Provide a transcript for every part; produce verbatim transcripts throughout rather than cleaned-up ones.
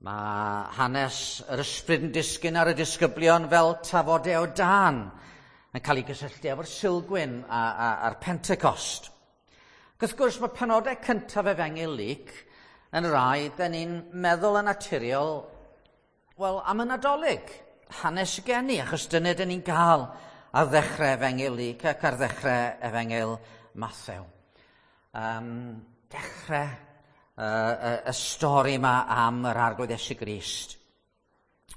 Mae hanes yr ysbryd yn disgyn ar y disgyblion fel tafodau o dân yn cael ei gysylltu efo'r Sulgwyn a, a, a'r Pentecost. Ac wrth gwrs, mae penodau cyntaf Efengyl Luc yn rai da ni'n meddwl yn naturiol, wel, am y Nadolig, hanes geni, achos dyna dyn ni'n gael ar ddechrau Efengyl Luc ac ar ddechrau Efengyl Mathew. Um, dechrau uh, y, y stori yma am yr Arglwydd Iesu Grist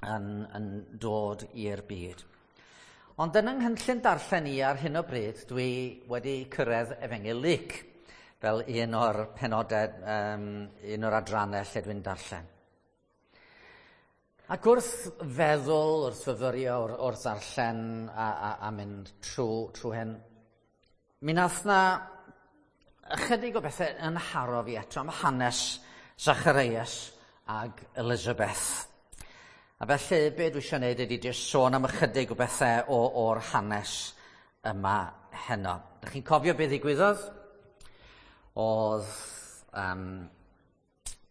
yn, yn dod i'r byd. Ond yn yng nghynllun darllen i ar hyn o bryd, dwi wedi cyrraedd Efengyl Luc fel un o'r penodau, um, un o'r adrannau lle dwi'n darllen. Ac wrth feddwl, wrth fyfyrio, wrth ddarllen a, a, a mynd trwy, trwy hyn, mi nath na ychydig o bethau yn haro fi eto am hanes Zacharias ag Elizabeth. A felly, be dwi eisiau gwneud ydy jyst sôn am ychydig o bethau o, o'r hanes yma heno. Dych chi'n cofio beth ddigwyddodd? Oedd um,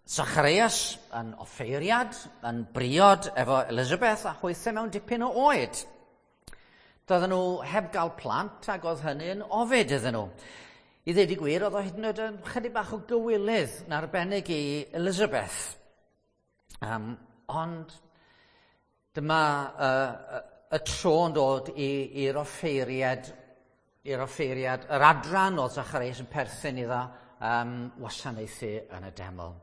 Zacharias yn offeiriad, yn briod efo Elizabeth a hwythau mewn dipyn o oed. Doedden nhw heb gael plant ac oedd hynny'n ofid iddyn nhw. I ddweud y gwir, oedd o hyd yn oed yn chydig bach o gywilydd yn arbennig i Elizabeth. Um, ond dyma uh, y tro yn dod i'r offeiriad, i'r offeiriad, yr adran oedd Zacharias yn perthyn iddo um, wasanaethu yn y deml.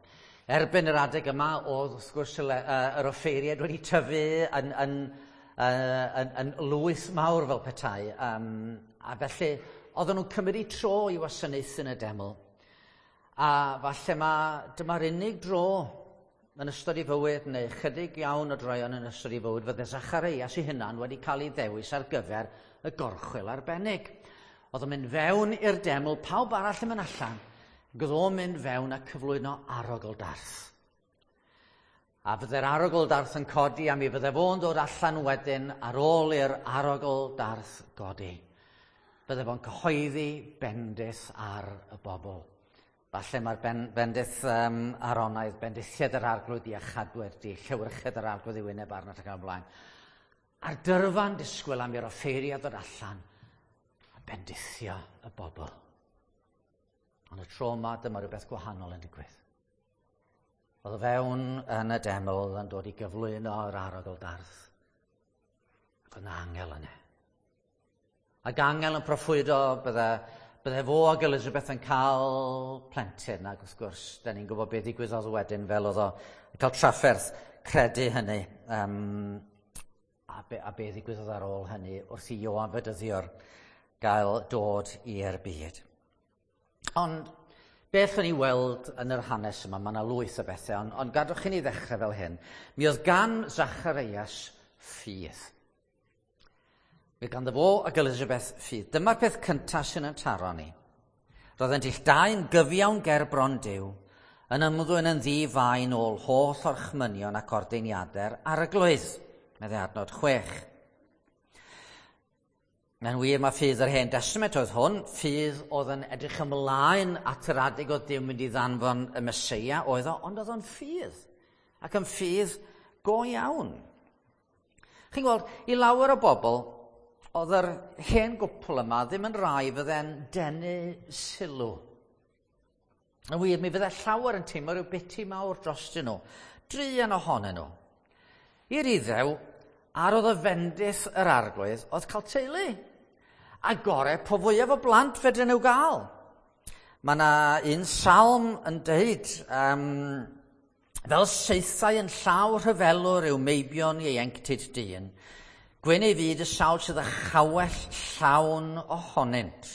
Erbyn yr adeg yma, oedd wrth gwrs yr offeiriad wedi tyfu yn, yn, yn, yn lwyth mawr fel petai. Um, a felly, oedden nhw'n cymryd eu tro i wasanaethu yn y deml. A falle ma, dyma'r unig dro yn ystod ei fywyd, neu chydig iawn o droeon yn ystod ei fywyd, fydde Zacharias ei hunan wedi cael ei ddewis ar gyfer y gorchwyl arbennig. Oedd o'n mynd fewn i'r deml, pawb arall yn mynd allan, ac oedd o'n mynd fewn a cyflwyno arogl darth. A fydde'r arogl darth yn codi, a mi fydde fo'n dod allan wedyn ar ôl i'r arogl darth godi. Bydde fo'n cyhoeddi bendith ar y bobl. Falle mae'r ben, bendith um, Aronaidd, bendithiad yr Arglwydd i a chadwed di, llewyrched yr Arglwydd i wyneb arno ac yn ymlaen. A'r dyrfa'n disgwyl am i'r offeiriad ddod allan a bendithio y bobl. Ond y tro yma, dyma rhywbeth gwahanol yn digwydd. Oedd o fewn yn y deml yn dod i gyflwyno yr arogl darth. Ac oedd yna angel yna. Ac angel yn proffwydo bydde, bydde fo ag Elizabeth yn cael plentyn, ac wrth gwrs, da ni'n gwybod beth ddigwyddodd wedyn, fel oedd o yn cael trafferth credu hynny. Um, a, be, a be ddigwyddodd ar ôl hynny wrth i Ioan Fedyddiwr gael dod i'r byd. Ond beth o'n i weld yn yr hanes yma, mae yna lwyth o bethau, ond, ond gadwch i ni ddechrau fel hyn. Mi oedd gan Zacharias ffydd. Mi oedd ganddo fo ac Elizabeth ffydd. Dyma'r peth cyntaf sy'n yn taro ni. Roeddent ill dau'n gyfiawn ger bron Duw, yn ymddwyn yn ddi-fai ôl holl orchmynion ac ordeiniadau'r Arglwydd, meddai adnod chwech. Mae'n wir mae ffydd yr Hen Testament oedd hwn, ffydd oedd yn edrych ymlaen at yr adeg oedd Duw mynd i ddanfon y Meseia oedd o, ond oedd o'n ffydd, ac yn ffydd go iawn. Chi'n gweld, i lawer o bobl, oedd yr hen gwpl yma ddim yn rai fydde'n denu sylw. Yn wir, mi fydde llawer yn teimlo rhyw biti mawr drostyn nhw, druan ohonyn nhw. I'r Iddew, ar oedd y fendith yr Arglwydd oedd cael teulu. A gorau po fwyaf o blant fedryn nhw gael. Mae yna un salm yn deud, um, fel saethau yn llaw rhyfelwr yw meibion ieuenctid dyn, gwyn ei fyd y sawl sydd â chawell llawn ohonynt.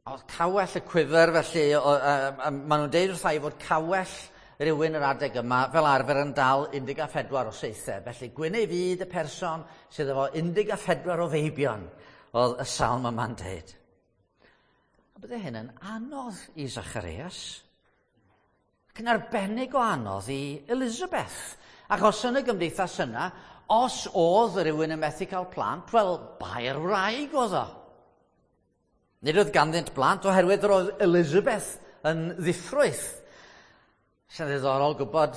Oedd cawell y cwyfr, felly, o, uh, maen nhw'n deud wrtha i fod cawell rhywun yr adeg yma fel arfer yn dal un deg pedwar o saethau. Felly, gwyn ei fyd y person sydd efo un deg pedwar o feibion, oedd y salm yma'n deud. A bydde hyn yn anodd i Zacharias, ac yn arbennig o anodd i Elizabeth. Achos yn y gymdeithas yna, os oedd rhywun yn methu cael plant, wel, bai'r wraig oedd o. Nid oedd ganddynt blant oherwydd yr oedd Elizabeth yn ddiffrwyth. Sy'n ddiddorol gwybod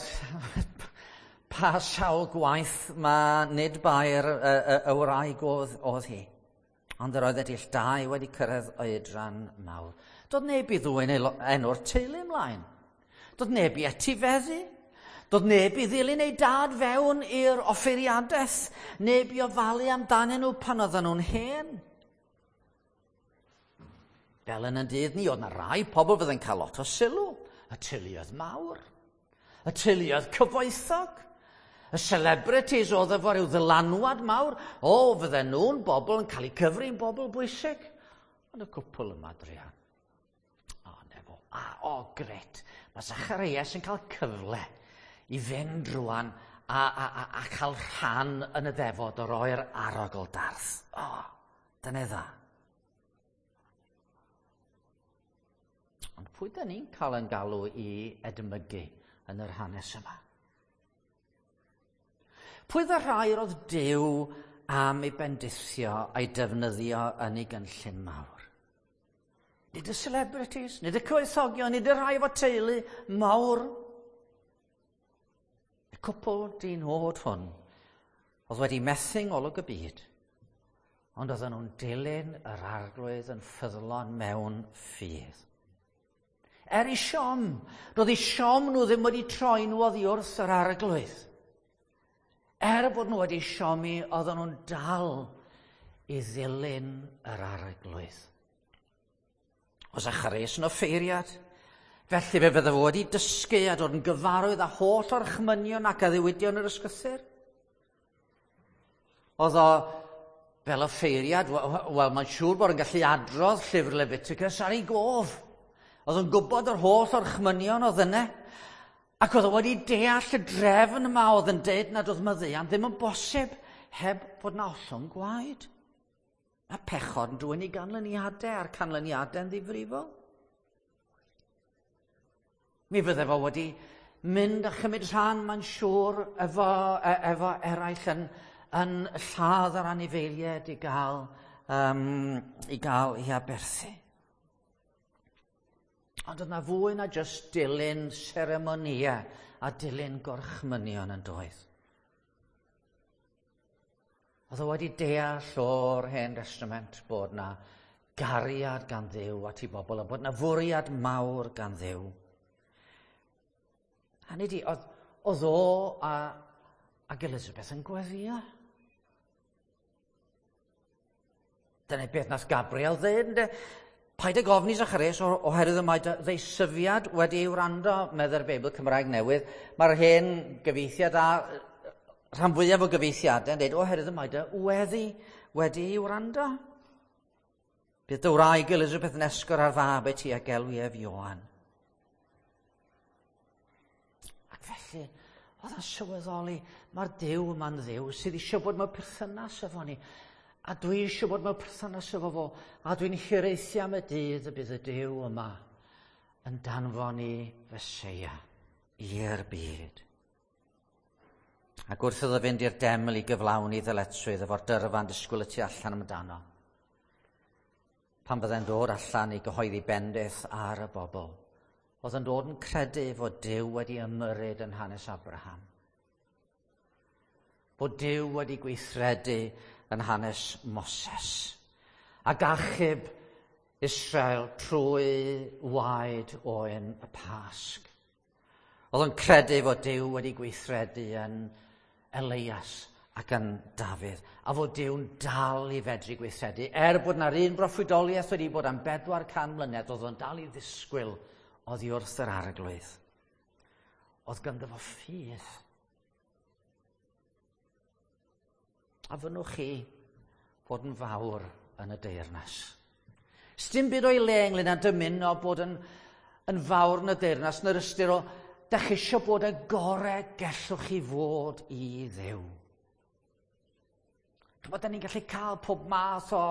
pa sawl gwaith mae nid bai'r y, y, y wraig oedd, oedd hi. Ond yr oedd ill dau wedi cyrraedd oedran mawr. Doedd neb i ddwyn enw'r teulu ymlaen. Doedd neb i etifeddu. Doedd neb i ddilyn ei dad fewn i'r offeiriadaeth. Neb i ofalu amdanyn nhw pan oedden nhw'n hen. Fel yn y dydd ni, oedd yna rai pobl fydd yn cael lot o sylw. Y teuluoedd mawr, y teuluoedd cyfoethog, y celebrities oedd efo rhyw ddylanwad mawr. O, fydden nhw'n bobl yn cael eu cyfri'n bobl bwysig. Ond y cwpl yma, druan. O, nefo. A, o, gret. Mae Zacharias yn cael cyfle i fynd rwan a, a, a, a cael rhan yn y ddefod o roi'r arogl darth. O, dyna dda. Ond pwy da ni'n cael yn galw i edmygu yn yr hanes yma? Pwy dda rhai roedd Duw am ei bendithio a'i defnyddio yn ei gynllun mawr? Nid y celebrities, nid y cyfoethogion, nid y rhai efo teulu mawr. Y cwpl di-nod hwn oedd wedi methu ngolwg y byd, ond oedden nhw'n dilyn yr Arglwydd yn ffyddlon mewn ffydd. Er i siom, roedd i siom nhw ddim wedi troi nhw oddi wrth yr Arglwydd. Er bod nhw wedi siomi, oedden nhw'n dal i ddilyn yr Arglwydd. O Zacharias yn offeiriad, felly fe fydde fo wedi dysgu a dod yn gyfarwydd â holl orchmynion ac addewidion yr ysgrythur. Oedd o fel offeiriad, wel, mae'n siŵr bod yn gallu adrodd llyfr Leviticus ar ei gof. Oedd yn gwybod yr holl orchmynion oedd yna. Ac oedd o wedi deall y drefn yma oedd yn deud nad oedd maddeuant ddim yn bosib heb fod na ollwng gwaed. Mae pechod yn dwyn i ganlyniadau a'r canlyniadau yn ddifrifol. Mi fydde fo wedi mynd a chymryd rhan, mae'n siŵr, efo, efo eraill yn, yn lladd yr anifeiliaid i gael, um, i gael ei aberthu. Ond oedd na fwy na jyst dilyn seremonia a dilyn gorchmynion yn doedd. Oedd o wedi deall o'r Hen Testament bod na gariad gan Dduw at ei bobl a bod na fwriad mawr gan Dduw. Hynny ydi, oedd, oedd o a, ac Elizabeth yn gweddïo. Dyna beth nath Gabriel ddeud, ynde? Paid ag ofni, Zacharias, oherwydd y mae ddeisyfiad wedi ei wrando, medde'r Beibl Cymraeg Newydd. Mae'r hen gyfieithiad a rhan fwyaf o gyfieithiadau yn dweud, oherwydd y mae dy weddi wedi ei wrando. Bydd dy wraig Elizabeth yn esgor ar fab i ti a gelwi ef Ioan. Ac felly, oedd o'n sylweddoli, mae'r Duw yma'n Dduw sydd eisiau bod mewn perthynas efo ni. A dwi eisiau bod mewn perthynas efo fo, a dwi'n hiraethu am y dydd y bydd y Duw yma yn danfon i Feseia i'r byd. Ac wrth iddo fynd i'r deml i gyflawni ddyletswydd efo'r dyrfa'n disgwyl y tu allan amdano, pan fydde'n dod allan i gyhoeddi bendith ar y bobl, oedd yn dod yn credu fod Duw wedi ymyrryd yn hanes Abraham. Bod Duw wedi gweithredu yn hanes Moses, ac achub Israel trwy waed oen y Pasg. Oedd yn credu fod Duw wedi gweithredu yn Elias ac yn Dafydd, a fod Duw'n dal i fedru gweithredu. Er bod na'r un broffwydoliaeth wedi bod am bedwar can mlynedd, oedd o'n dal i ddisgwyl oddi wrth yr Arglwydd. Oedd ganddo fo ffydd. A fynnwch chi fod yn fawr yn y deyrnas. Sdim byd o'i le ynglyn â dymuno bod yn, yn fawr yn y deyrnas, yn yr ystyr o, dach chi eisiau bod y gorau gellwch chi fod i Dduw. Chymod, da ni'n gallu cael pob math o,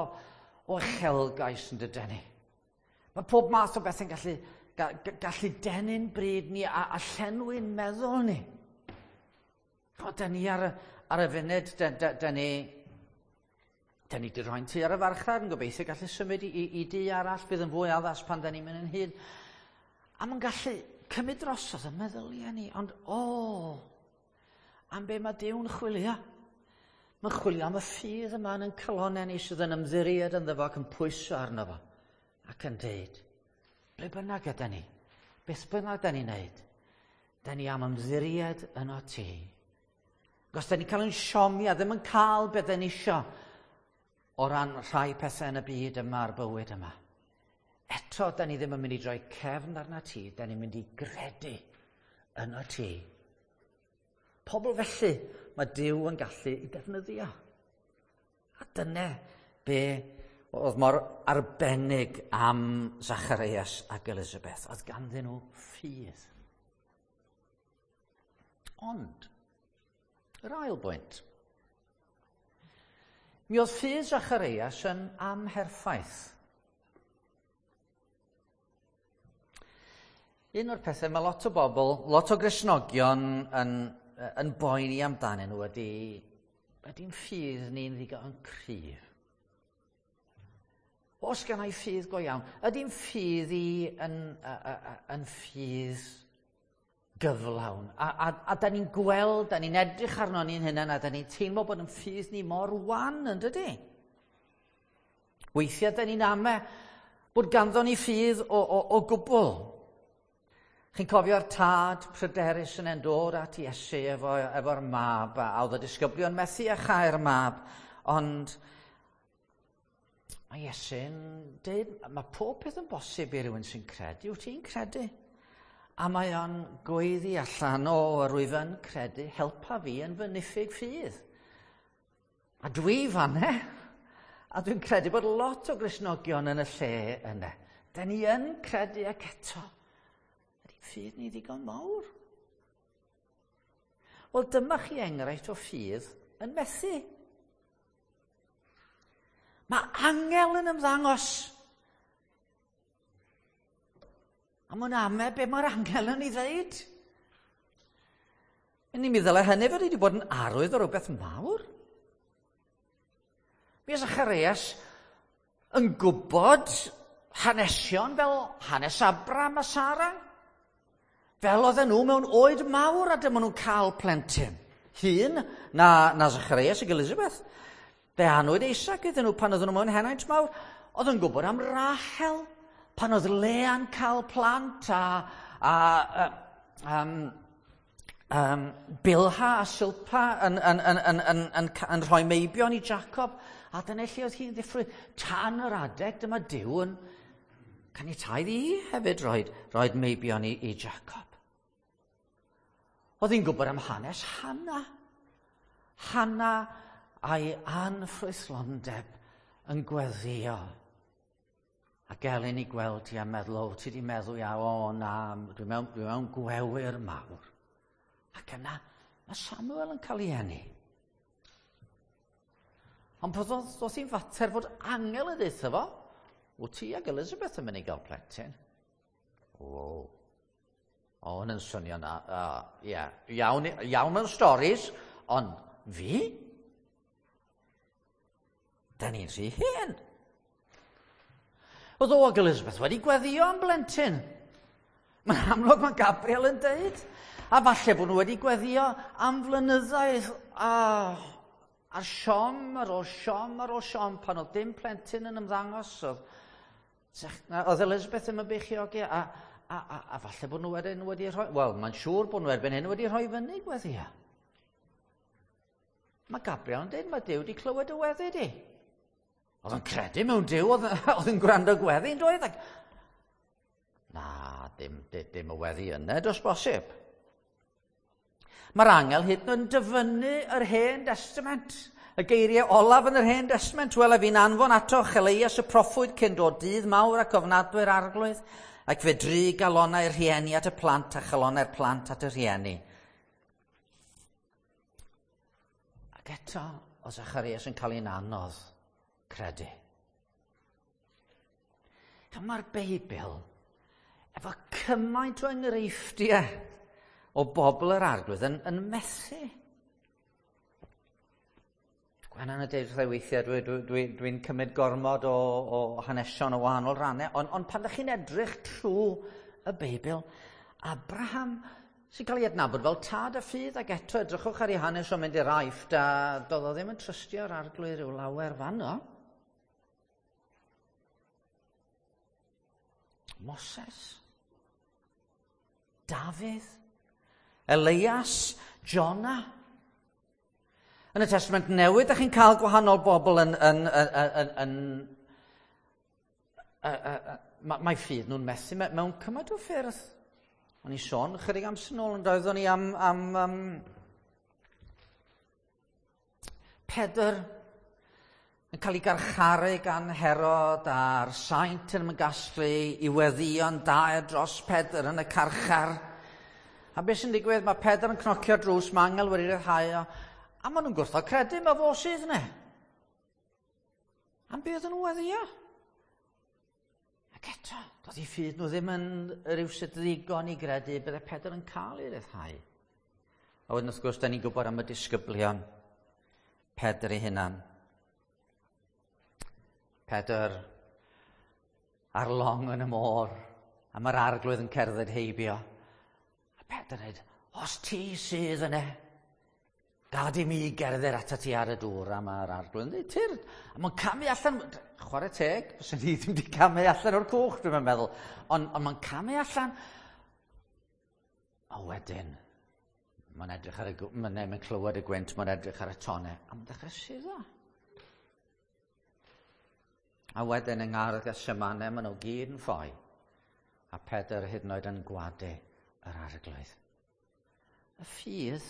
o uchelgais yn dydyn ni. Mae pob math o beth yn gallu, ga, gallu denu'n bryd ni a, a llenwi'n meddwl ni. Chymod, da ni ar y, ar y funud, da, da, da ni, da ni di roi'n tŷ ar y farchnad yn gobeithio gallu symud i, i, i dŷ arall fydd yn fwy addas pan da ni'n mynd yn hŷn. A mae'n gallu cymryd drosodd y meddyliau ni, ond o, am be mae Duw'n chwilio. Mae'n chwilio am y ffydd yma yn calonau ni sydd yn ymddiried ynddo fo ac yn pwyso arno fo ac yn deud, ble bynnag yda ni, beth bynnag da ni'n neud, da ni am ymddiried yno ti. Os da ni'n cael yn siomi a ddim yn cael beth da ni isio o ran rhai pethau yn y byd yma a'r bywyd yma. Eto, da ni ddim yn mynd i droi cefn arna ti, da ni'n mynd i gredu yno ti. Pobl felly, mae Duw yn gallu i defnyddio. A dyna be oedd mor arbennig am Zacharias ac Elizabeth. Oedd ganddyn nhw ffydd. Ond, yr ail bwynt. Mi oedd ffydd Zacharias yn amherffaith. Un o'r pethau mae lot o bobl, lot o Gristnogion yn, yn boeni amdanyn nhw ydy, ydy'n ffydd ni'n ddigon cryf. Os gen i ffydd go iawn, ydy'n ffydd i yn, yn ffydd gyflawn? A, a, a da ni'n gweld, da ni'n edrych arno ni'n hunain, a da ni'n teimlo bod yn ffydd ni mor wan, yn dydy? Weithiau da ni'n ame bod ganddo ni ffydd o, o, o gwbl. Chi'n cofio'r tad pryderus yn dod at Iesu efo, efo'r mab, a oedd y disgyblion methu a chau'r mab, ond mae Iesu'n dweud, mae pob peth yn bosib i rywun sy'n credu, wyt ti'n credu? A mae o'n gweiddi allan, o, rwyf yn credu, helpa fi yn fy niffyg ffydd. A dwi fanne, a dwi'n credu bod lot o Gristnogion yn y lle yna. Da ni yn credu ac eto, ydy ffydd ni ddigon mawr? Wel, dyma chi enghraifft o ffydd yn methu. Mae angel yn ymddangos. A mae'n ame be mae'r angel yn ei ddeud. Yn ni'n meddwl hynny fod wedi bod yn arwydd o rhywbeth mawr. Mi oedd Zacharias yn gwybod hanesion fel hanes Abraham a Sara. Fel oedden nhw mewn oed mawr a dyma nhw'n cael plentyn. Hyn na, na Zacharias ac Elizabeth. Fe anwyd Isaac iddyn nhw pan oedden nhw mewn henaint mawr. Oedd yn gwybod am Rachel, pan oedd Lea'n cael plant a, a, a um, um, Bilha a Silpa yn, yn, yn, yn, yn, yn, yn rhoi meibion i Jacob. A dyna lle oedd hi'n ddifrwydd. Tan yr adeg, dyma Duw yn caniatáu iddi hefyd roed, roed meibion i, i Jacob. Oedd hi'n gwybod am hanes Hannah. Hannah a'i anffrwythlondeb yn gweddio. Ac Elin i gweld hi a meddwl, o, ti di meddwl, ia, o, na, dwi mewn, dwi mewn gwewyr mawr. Ac yna, mae Samuel yn cael ei eni. Ond bod oedd hi'n fater fod angel yn deutha fo, wyt ti ac Elizabeth yn mynd i gael plentyn? O, o, hwn yn swnio na, ie, uh, yeah. iawn, iawn mewn storis, ond fi? Da ni'n rhy hen. Oedd o ac Elizabeth wedi gweddio am blentyn. Mae'n amlwg mae Gabriel yn deud. A falle bod nhw wedi gweddio am flynyddoedd a, a siom ar ôl siom ar ôl siom pan oedd dim plentyn yn ymddangos. Oedd, oedd Elizabeth ddim yn beichiogi a, a, a, a falle bod nhw wedyn wedi rhoi... Wel, mae'n siŵr bod nhw erbyn hyn wedi rhoi fyny gweddio. Mae Gabriel yn deud, mae Duw wedi clywed y weddi di. Oedd yn credu mewn Duw, oedd, oedd yn gwrando gweddi, yn doedd? Ac, na, dim, dim, dim y weddi yna, does bosib. Mae'r angel hyd yn dyfynnu yr Hen Testament. Y geiriau olaf yn yr Hen Testament. Wel, a fi'n anfon atoch Elias y proffwyd cyn dod dydd mawr ac ofnadwy'r arglwydd, ac fe dri galonau'r rhieni at y plant a chalonau'r plant at y rhieni. Ac eto, oedd Zacharias yn cael ein anodd credu. A mae'r Beibl efo cymaint o enghreifftiau o bobl yr arglwydd yn, yn methu. Gwenan y deud wrtha i weithiau, dwi'n dwi, dwi, dwi cymryd gormod o, o hanesion o wahanol rannau, ond, ond pan ydych chi'n edrych trwy y Beibl, Abraham, sy'n cael ei adnabod fel tad y ffydd, ac eto edrychwch ar ei hanes o'n mynd i'r Aifft, a doedd o ddim yn trystio'r arglwydd rhyw lawer fanno. Moses, Dafydd, Elias, Jonah. Yn y Testament Newydd, ydych chi'n cael gwahanol bobl yn... yn, yn, yn, yn, yn mae ffydd nhw'n methu mewn cymaint o ffyrdd. O'n i sôn chydig amser nôl yn doeddwn ni am, am, am Pedr yn cael ei garcharu gan Herod a'r saint yn ymgasglu i weddïo'n daer dros Pedr yn y carchar. A beth sy'n digwydd? Mae Pedr yn cnocio'r drws, mae angel wedi rhyddhau o, a maen nhw'n gwrthod credu mae fo sydd yna. Am beth oedden nhw'n weddïo? Ac eto, doedd eu ffydd nhw ddim yn rhywsut ddigon i gredu bydde Pedr yn cael ei ryddhau. A wedyn wrth gwrs, da ni'n gwybod am y disgyblion, Pedr ei hunan. Pedr ar long yn y môr, a mae'r arglwydd yn cerdded heibio. A Pedr yn dweud, os ti sydd yna, gad i mi gerdded atat ti ar y dŵr, a mae'r arglwydd yn dweud, tyrd. A mae'n camu allan, chwarae teg, fyswn ni ddim wedi camu allan o'r cwch, dwi'n meddwl. Ond on mae'n camu allan. A wedyn, mae'n edrych ar y, mae'n, mae'n clywed y gwynt, mae'n edrych ar y tonnau, a mae'n dechrau suddo. A wedyn yng Ngardd Gethsemane, maen nhw gyd yn ffoi. A Pedr hyd yn oed yn gwadu yr arglwydd. Y ffydd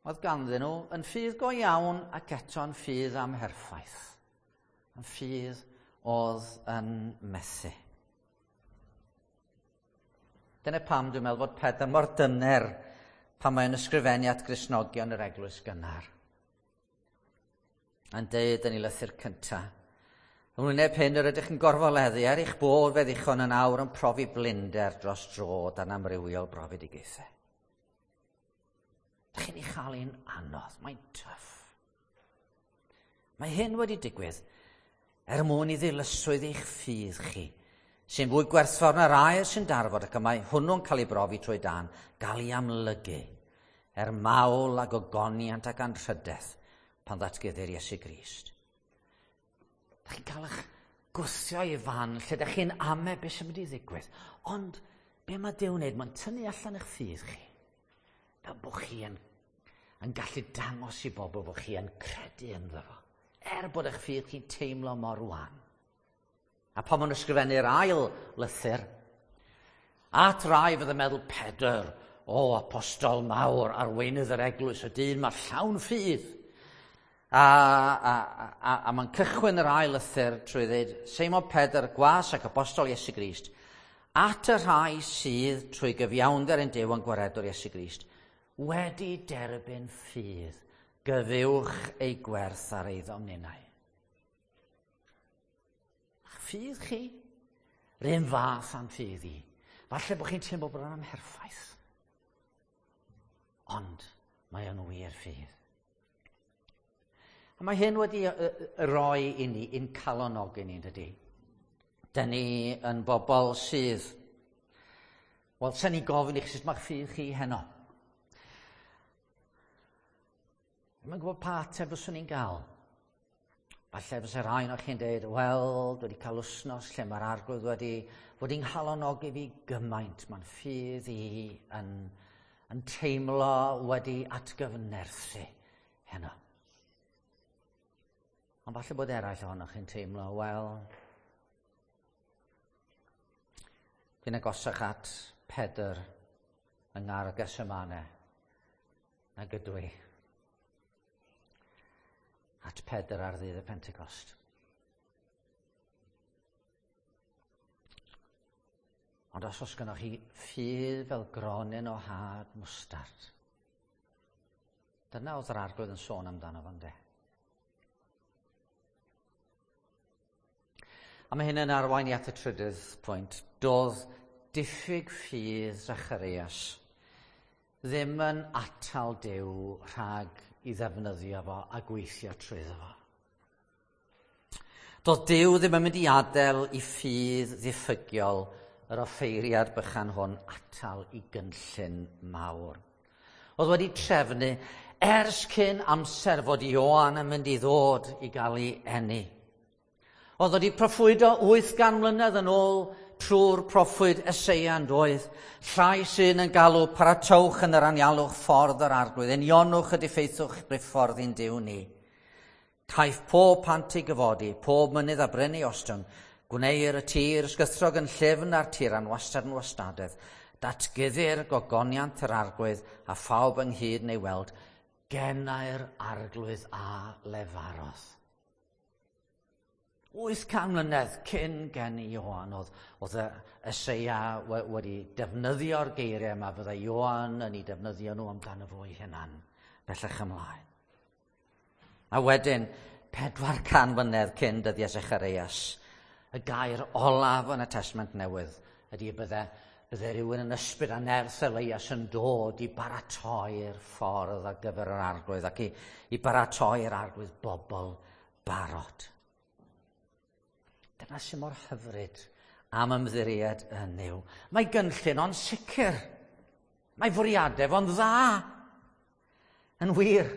oedd ganddyn nhw yn ffydd go iawn ac eto'n ffydd amherffaith. Yn ffydd oedd yn methu. Dyna pam dwi'n meddwl bod Pedr mor dyner pan mae'n ysgrifennu at Gristnogion yr eglwys gynnar. Yn deud yn ei lythyr cyntaf, yn wyneb hyn yr ydych yn gorfoleddu er eich bod fe ddichon yn awr yn profi blinder dros dro dan amrywiol brofedigaethau. Dych chi'n ei chael hi'n anodd, mae'n tough. Mae hyn wedi digwydd er mwyn i ddilysrwydd eich ffydd chi, sy'n fwy gwerthfawr na'r aur sy'n darfod ac y mae hwnnw'n cael ei brofi trwy dan, gael ei amlygu er mawl ac ogoniant ac anrhydedd pan ddatguddir Iesu Grist. Dych chi'n cael eich gwthio i fan lle dych chi'n ame beth sy'n mynd i ddigwydd. Ond be mae Duw'n wneud? Mae'n tynnu allan eich ffydd chi. Fel bod chi yn, yn gallu dangos i bobl bod chi yn credu ynddo fo. Er bod eich ffydd chi'n teimlo mor wan. A pan maen ysgrifennu'r ail lythyr, at rai fydd yn meddwl Pedr, o apostol mawr, arweinydd yr eglwys, y dyn mae llawn ffydd. A, a, a, a mae'n cychwyn yr ail lythyr trwy ddweud, Seimon Pedr, gwas ac apostol Iesu Grist, at y rhai sydd trwy gyfiawnder ein Duw yn gwaredwr Iesu Grist, wedi derbyn ffydd, gyfywch ei gwerth ar eiddom ninnau. A'ch ffydd chi, r'un fath â'n ffydd i. Falle bod chi'n teimlo bod o'n amherffaith. Ond mae o'n wir ffydd. A mae hyn wedi roi i ni, i'n calonogi ni, dydy. Dyn ni yn bobl sydd... Wel, sen ni gofyn i chi sut mae'ch ffydd chi heno. Dwi'm yn gwybod pa ateb fyswn i'n gael. Falle fysa rhai ohonoch chi'n dweud, wel, dwi wedi cael wythnos lle mae'r arglwydd wedi wedi nghalonogi fi gymaint. Mae'n ffydd i yn, yn teimlo wedi atgyfnerthu heno. Ond falle bod eraill ohonoch chi'n teimlo, wel, dwi'n agosach at Pedr yng Ngardd Gethsemane nag ydw i at Pedr ar ddydd y Pentecost. Ond os oes gennoch chi ffydd fel gronyn o had mwstard, dyna oedd yr arglwydd yn sôn amdano fo, ynde? A mae hyn yn arwain i at y trydydd pwynt. Doedd diffyg ffydd Zacharias ddim yn atal Duw rhag i ddefnyddio fo a gweithio trwyddo fo. Doedd Duw ddim yn mynd i adael i ffydd ddiffygiol yr offeiriad bychan hwn atal i gynllun mawr. Oedd wedi trefnu ers cyn amser fod Ioan yn mynd i ddod i gael ei eni. Oedd wedi proffwydo wyth gan mlynedd yn ôl trwy'r proffwyd Eseia yn doedd. Llais un yn galw, paratowch yn yr anialwch ffordd yr Arglwydd, unionwch y diffeithwch briffordd i'n Duw ni. Caiff pob pant ei gyfodi, pob mynydd a bryn ei ostwng, gwneir y tir ysgythrog yn llyfn a'r tir anwastad yn wastadedd. Datguddir gogoniant yr Arglwydd a phawb ynghyd neu weld gennau'r Arglwydd a lefarodd. Wyth can mlynedd cyn geni Ioan oedd, oedd y Eseia wedi defnyddio'r geiriau yma, fyddai Ioan yn ei defnyddio nhw amdano fo ei hunan, bellach ymlaen. A wedyn, pedwar can mlynedd cyn dyddiau Zecharias, y gair olaf yn y Testament Newydd ydy y bydde, bydde rhywun yn ysbryd a nerth Elias yn dod i baratoi'r ffordd ar gyfer yr Arglwydd ac i, i baratoi'r Arglwydd bobl barod. Dyna sy'n mor hyfryd am ymddiried yn Nuw. Mae gynllun o'n sicr. Mae fwriadau fo'n dda. Yn wir,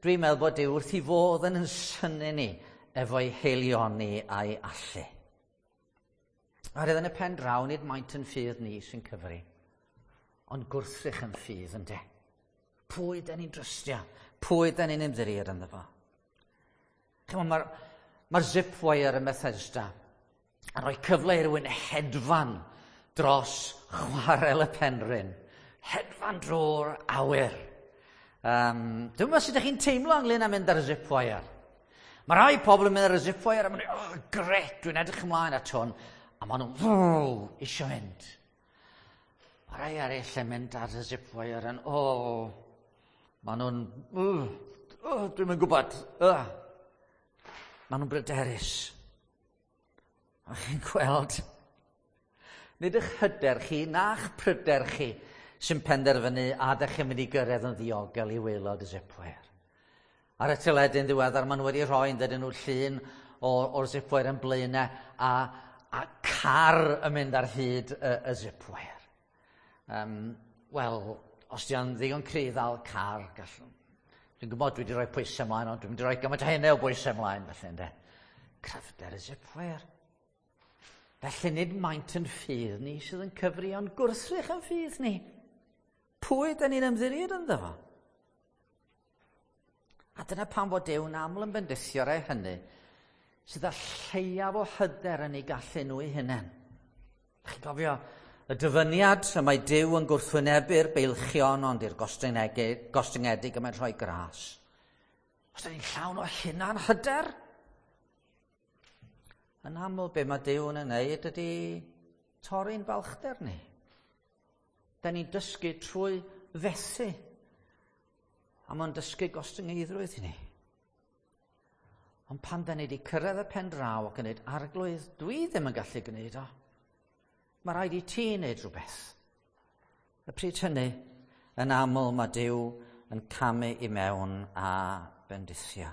dwi'n meddwl bod Duw wrth ei fodd yn yn synnu ni efo'i heilioni a'i allu. Oherwydd yn y pen draw, nid maint yn ffydd ni sy'n cyfri, ond gwrthrych yn ffydd ynde. Pwy da ni'n drystio? Pwy da ni'n ymddiried ynddo fo? Chimod, mae'r mae zip wire ym Methesda yn rhoi cyfle i rywun hedfan dros chwarel y Penrhyn. Hedfan drwy'r awyr. Um, Dwi'n meddwl sut ydych chi'n teimlo ynglyn â mynd ar y zip wire. Mae rai pobl yn mynd ar y zip wire a maen nhw'n, oh, gret, dwi'n edrych ymlaen at hwn. A maen nhw'n, eisiau mynd. Mae rai eraill yn mynd ar y zip wire yn, oh, maen nhw'n, oh, oh, dwi'n mynd gwybod, oh. Maen nhw'n bryderus. A chi'n gweld, nid eich hyder chi na'ch pryder chi sy'n penderfynu a ydych chi'n mynd i gyrraedd yn ddiogel i waelod y zip wire. Ar y teledu'n ddiweddar, maen nhw wedi rhoi yn dydyn nhw llun o'r zip wire yn blaenau a, a car yn mynd ar hyd y, y zip wire. Um, Wel, os di o'n ddigon cryf ddal car, gallwn. Dwi'n gwybod dwi wedi rhoi pwysau ymlaen, ond dwi'n mynd i rhoi gymaint o hynny o bwysau ymlaen, felly, ynde. Cryfder y zip wire. Felly nid maint yn ffydd ni sydd yn cyfri, ond gwrthrych yn ffydd ni. Pwy da ni'n ymddiried ynddo fo? A dyna pam fod Duw'n aml yn bendithio rai hynny sydd â lleiaf o hyder yn ei gallu nhw eu hunain. Chi'n gofio y dyfyniad y mae Duw yn gwrthwynebu'r beilchion ond i'r gostyngedig y mae'n rhoi gras. Os da ni'n llawn o hunan hyder, yn aml be mae Duw yn ei wneud ydy torri'n balchder ni. Da ni'n dysgu trwy fethu. A mae'n dysgu gostyngeiddrwydd i ni. Ond pan da ni wedi cyrraedd y pen draw ac yn gwneud Arglwydd, dwi ddim yn gallu gwneud o. Mae rhaid i ti wneud rhywbeth. Y pryd hynny, yn aml mae Duw yn camu i mewn a bendithio.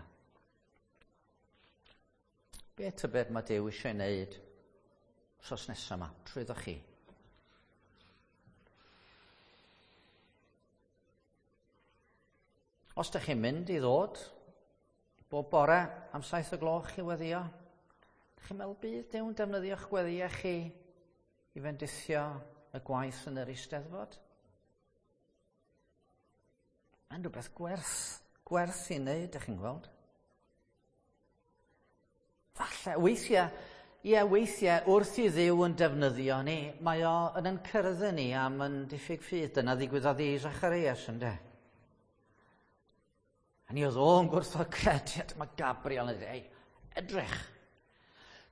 Be tybed mae Duw eisiau wneud wsos nesaf yma, trwyddo chi? Os ydych chi'n mynd i ddod bob bore am saith o gloch i weddio, ydych chi'n meddwl bydd Duw'n defnyddio'ch gweddïau chi i fendithio y gwaith yn yr Eisteddfod? Mae'n rhywbeth gwerth, gwerth i wneud, ydych chi'n gweld? Falle, weithiau, ie, weithiau, wrth i Dduw yn defnyddio ni, mae o yn yn cyrraedd ni am yn diffyg ffydd. Dyna ddigwyddodd i Zacharias, ynde? A ni oedd o'n gwrthod credu, a dyma Gabriel yn dweud, edrych,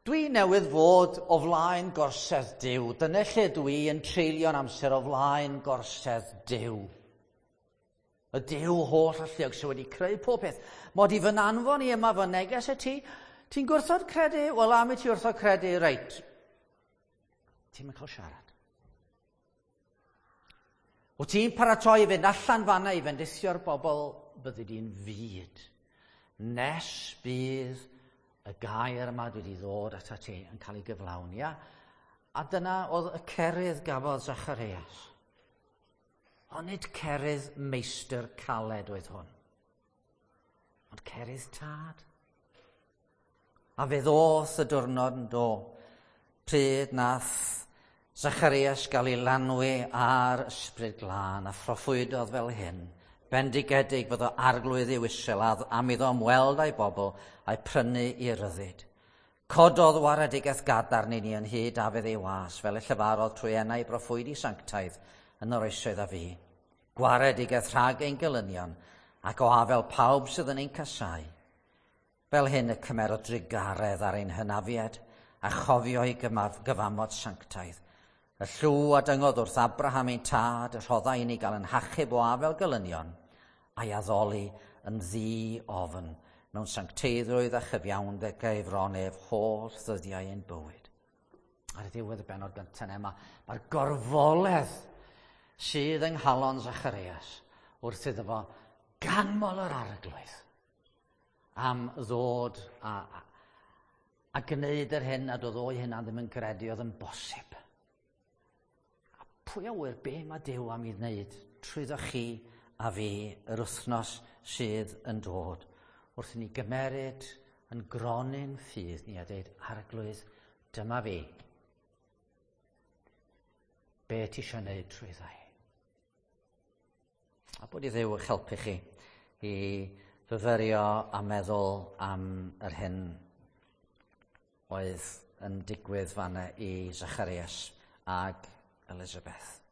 dwi newydd fod o flaen gorsedd Duw. Dyna lle dwi yn treulio'n amser o flaen gorsedd Duw. Y Duw holl alluog sydd wedi creu pob peth. Mod i fy anfon i yma fy neges y ti, ti'n gwrthod credu? Wel, am i ti wrthod credu, reit. Ti'n mynd cael siarad. Wyt ti'n paratoi i fynd allan fanna i fendithio'r bobl, byddi di'n fud. Nes bydd y gair yma dwi wedi ddod atat ti yn cael ei gyflawn, ia? A dyna oedd y cerydd gafodd Zacharias. Ond nid cerydd meistr caled oedd hwn, ond cerydd tad. A fe ddoth y diwrnod yn do, pryd nath Zacharias gael ei lanwi ar Ysbryd Glân a phroffwydodd fel hyn. Bendigedig fyddo arglwydd i'w Israel am iddo ymweld â'i bobl a'i prynu i ryddid. Cododd waredigaeth gadarn i ni ynghyd Dafydd ei was, fel y llefarodd trwy enau broffwydi sanctaidd yn yr oesoedd a fu. Gwaredigaeth rhag ein gelynion ac o afel pawb sydd yn ein casau. Fel hyn y cymerodd drugaredd ar ein hynafiad a chofio ei gyfamod sanctaidd. Y llw a dyngodd wrth Abraham ein tad, y rhoddai i ni gael yn hachub o afel gelynion, a'i addoli yn ddi-ofn mewn sancteiddrwydd a chyfiawnder geifron ef holl ddyddiau ein bywyd. Ar y ddiwedd y bennod gyntaf yma, mae'r gorfoledd sydd yng nghalon Zacharias wrth iddo fo ganmol yr arglwydd am ddod a, a, a gwneud yr hyn a doedd o'i hynna ddim yn credu oedd yn bosib. A pwy a ŵyr be mae Duw am ei wneud trwyddo chi a fi yr wythnos sydd yn dod, wrth i ni gymeryd yn gronyn ffydd ni a dweud, arglwydd, dyma fi. Be ti eisiau gwneud trwy ddau? A bod i Dduw eich helpu chi i fyfyrio a meddwl am yr hyn oedd yn digwydd fanna i Zacharias ag Elizabeth.